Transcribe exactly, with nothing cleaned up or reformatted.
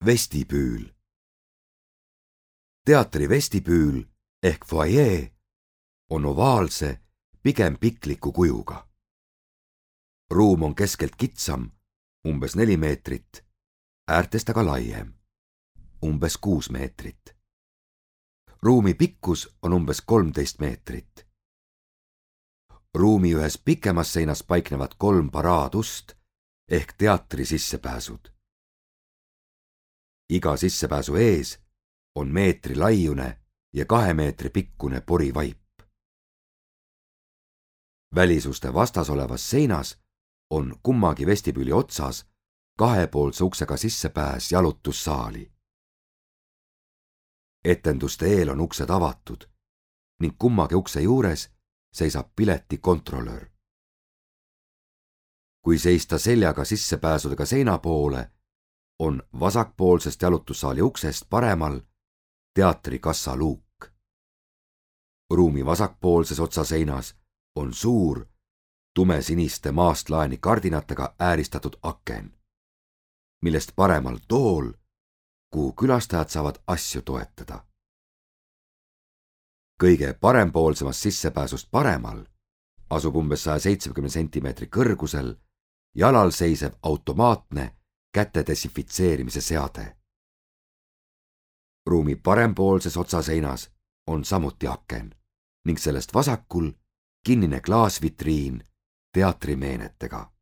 Vestibüül. Teatri vestibüül ehk foajee on ovaalse, pigem pikliku kujuga. Ruum on keskelt kitsam, umbes neli meetrit, äärtest aga laiem, umbes kuus meetrit. Ruumi pikkus on umbes kolmteist meetrit. Ruumi ühes pikemas seinas paiknevad kolm paraadust ehk teatri sissepääsud. Iga sissepääsu ees on meetri laiune ja kahe meetri pikkune porivaip. Välisuste vastas olevas seinas on kummagi vestibüüli otsas kahepoolse uksega sissepääs jalutussaali. Etenduste eel on uksed avatud ning kummagi ukse juures seisab pileti kontrolör. Kui seista seljaga sissepääsudega seina poole, on vasakpoolsest jalutussaali uksest paremal teatri kassaluuk. Ruumi vasakpoolses otsaseinas on suur, tumesiniste maastlaeni kardinatega ääristatud aken, millest paremal tool, kuhu külastajad saavad asju toetada. Kõige parempoolsemast sissepääsust paremal asub umbes saja seitsmekümne sentimeetri kõrgusel jalal seisev automaatne käte desinfitseerimise seade. Ruumi parempoolses otsaseinas on samuti aken ning sellest vasakul kinnine klaasvitriin teatrimeenetega.